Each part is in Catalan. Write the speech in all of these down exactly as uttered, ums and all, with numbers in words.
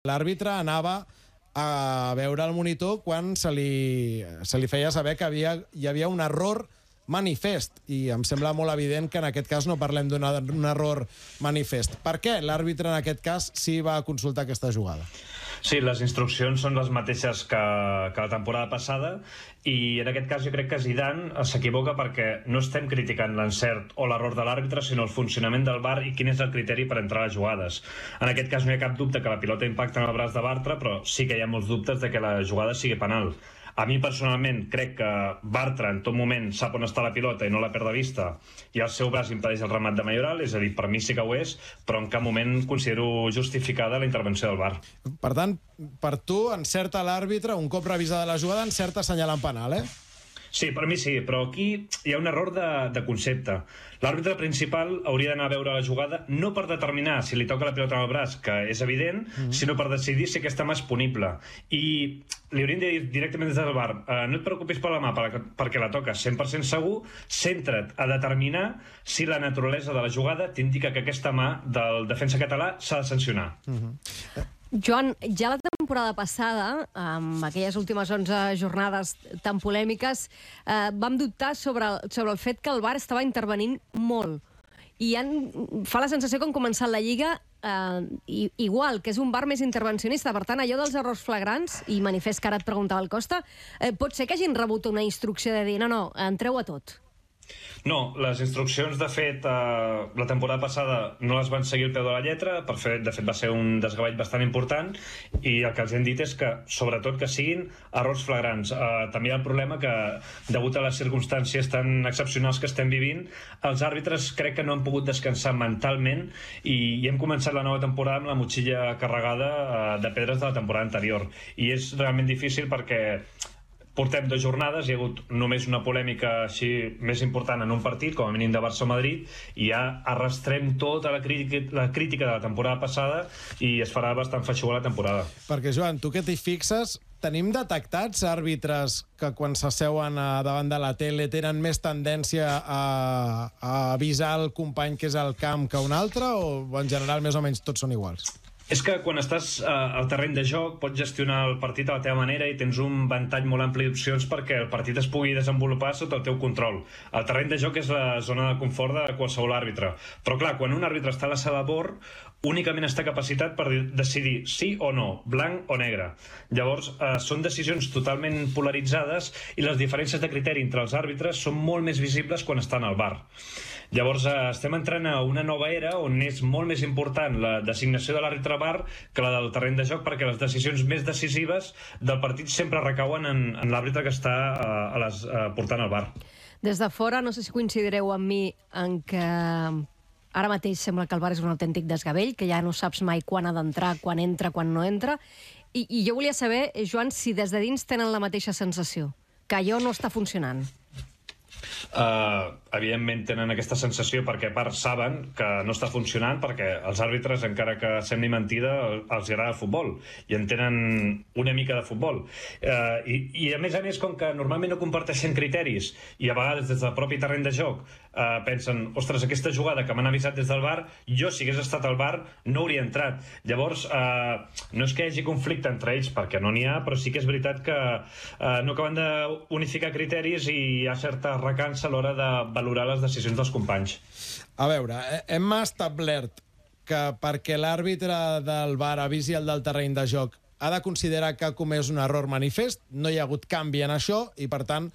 l'àrbitre anava a veure el monitor quan se li, se li feia saber que havia, hi havia un error manifest, i em sembla molt evident que en aquest cas no parlem d'un error manifest. Per què l'àrbitre en aquest cas sí va consultar aquesta jugada? Sí, les instruccions són les mateixes que, que la temporada passada, i en aquest cas jo crec que Zidane s'equivoca perquè no estem criticant l'encert o l'error de l'àrbitre, sinó el funcionament del V A R i quin és el criteri per entrar a les jugades. En aquest cas no hi ha cap dubte que la pilota impacta en el braç de Bartra, però sí que hi ha molts dubtes de que la jugada sigui penal. A mi personalment crec que Bartra en tot moment sap on està la pilota i no la perd de vista, i el seu braç impedeix el remat de Mayoral, és a dir, per mi sí que ho és, però en cap moment considero justificada la intervenció del V A R. Per tant, per tu encerta l'àrbitre, un cop revisada la jugada, encerta assenyalant penal, eh? Sí, per mi sí, però aquí hi ha un error de, de concepte. L'àrbitre principal hauria d'anar a veure la jugada no per determinar si li toca la pilota en el braç, que és evident, mm-hmm. sinó per decidir si aquesta mà és punible. I li haurien de dir directament des del V A R, eh, no et preocupis per la mà, perquè la toques cent per cent segur, centra't a determinar si la naturalesa de la jugada t'indica que aquesta mà del defensa català s'ha de sancionar. Mm-hmm. Joan, ja la temporada passada, amb aquelles últimes onze jornades tan polèmiques, eh, vam dubtar sobre el, sobre el fet que el V A R estava intervenint molt. I han, fa la sensació que han començat la Lliga eh, igual, que és un V A R més intervencionista. Per tant, allò dels errors flagrants, i manifest que ara et preguntava el Costa, eh, pot ser que hagin rebut una instrucció de dir no, no, entreu a tot. No, les instruccions, de fet, eh, la temporada passada no les van seguir al peu de la lletra, per fet, de fet va ser un desgavell bastant important, i el que els hem dit és que, sobretot, que siguin errors flagrants. Eh, també hi ha el problema que, degut a les circumstàncies tan excepcionals que estem vivint, els àrbitres crec que no han pogut descansar mentalment, i, i hem començat la nova temporada amb la motxilla carregada eh, de pedres de la temporada anterior. I és realment difícil perquè portem dues jornades, hi ha hagut només una polèmica així més important en un partit, com a mínim de Barça o Madrid, i ja arrastrem tota la crítica, la crítica de la temporada passada i es farà bastant feixuga la temporada. Perquè, Joan, tu que t'hi fixes, tenim detectats àrbitres que quan s'asseuen davant de la tele tenen més tendència a, a avisar el company que és al camp que un altre, o en general més o menys tots són iguals? És que quan estàs eh, al terreny de joc pots gestionar el partit a la teva manera i tens un ventall molt ampli d'opcions perquè el partit es pugui desenvolupar sota el teu control. El terreny de joc és la zona de confort de qualsevol àrbitre. Però clar, quan un àrbitre està a la sala de bord, únicament està capacitat per decidir sí o no, blanc o negre. Llavors, eh, són decisions totalment polaritzades i les diferències de criteri entre els àrbitres són molt més visibles quan estan al V A R. Llavors, eh, estem entrant a una nova era on és molt més important la designació de l'àrbitre V A R que la del terreny de joc, perquè les decisions més decisives del partit sempre recauen en, en l'àrbitre que està eh, a les, eh, portant el V A R. Des de fora, no sé si coincidireu amb mi en que ara mateix sembla que el V A R és un autèntic desgavell, que ja no saps mai quan ha d'entrar, quan entra, quan no entra. I, I jo volia saber, Joan, si des de dins tenen la mateixa sensació, que allò no està funcionant. Uh, evidentment tenen aquesta sensació perquè a part saben que no està funcionant, perquè els àrbitres, encara que sembli mentida, els agrada el futbol i en tenen una mica de futbol, uh, i, i a més a més, com que normalment no comparteixen criteris i a vegades des del propi terreny de joc uh, pensen, ostres, aquesta jugada que m'han avisat des del V A R, jo si hagués estat al V A R no hauria entrat. Llavors uh, no és que hi hagi conflicte entre ells, perquè no n'hi ha, però sí que és veritat que uh, no acaben d'unificar criteris i hi ha certa recança a l'hora de valorar les decisions dels companys. A veure, hem establert que perquè l'àrbitre del V A R avisi el del terreny de joc ha de considerar que ha comès un error manifest, no hi ha hagut canvi en això, i per tant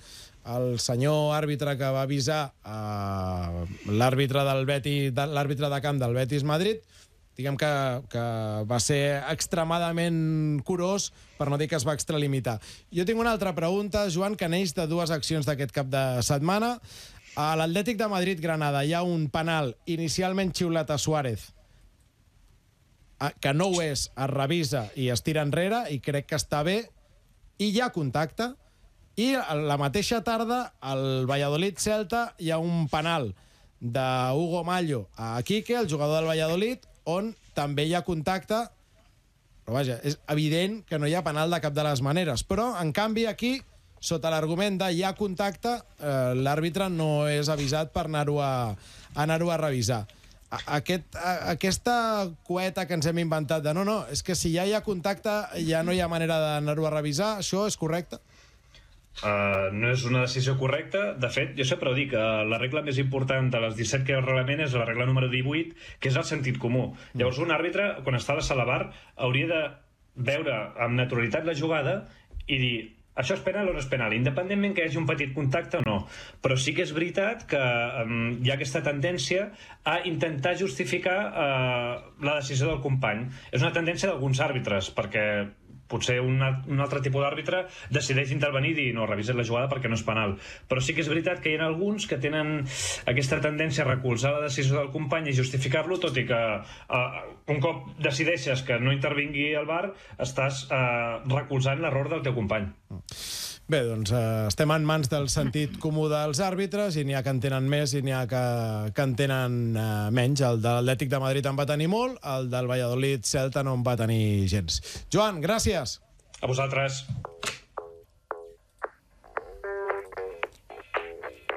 el senyor àrbitre que va avisar eh, l'àrbitre del Betis, l'àrbitre de camp del Betis Madrid, diguem que, que va ser extremadament curós, per no dir que es va extralimitar. Jo tinc una altra pregunta, Joan, que neix de dues accions d'aquest cap de setmana. A l'Atlètic de Madrid-Granada hi ha un penal inicialment xiulat a Suárez, que no ho és, es revisa i es tira enrere, i crec que està bé, i hi ha contacte. I la mateixa tarda, al Valladolid-Celta, hi ha un penal d'Hugo Mallo a Quique, el jugador del Valladolid, on també hi ha contacte, però vaja, és evident que no hi ha penal de cap de les maneres. Però, en canvi, aquí, sota l'argument de hi ha contacte, eh, l'àrbitre no és avisat per anar-ho a, anar-ho a revisar. Aquest, aquesta cueta que ens hem inventat de no, no, és que si ja hi ha contacte ja no hi ha manera d'anar-ho a revisar, això és correcte? Uh, no és una decisió correcta. De fet, jo sempre ho dic, uh, la regla més important de les disset que hi ha al reglament és la regla número divuit, que és el sentit comú. Mm. Llavors, un àrbitre, quan està a la sala bar, hauria de veure amb naturalitat la jugada i dir, això és penal o no és penal, independentment que hi hagi un petit contacte o no. Però sí que és veritat que um, hi ha aquesta tendència a intentar justificar uh, la decisió del company. És una tendència d'alguns àrbitres, perquè potser un, un altre tipus d'àrbitre decideix intervenir i dir no, revises la jugada perquè no és penal. Però sí que és veritat que hi ha alguns que tenen aquesta tendència a recolzar la decisió del company i justificar-lo, tot i que uh, un cop decideixes que no intervingui el V A R, estàs uh, recolzant l'error del teu company. Bé, doncs eh, estem en mans del sentit comú dels àrbitres i n'hi ha que en tenen més i n'hi ha que, que en tenen eh, menys. El de l'Atlètic de Madrid en va tenir molt, el del Valladolid Celta no en va tenir gens. Joan, gràcies. A vosaltres.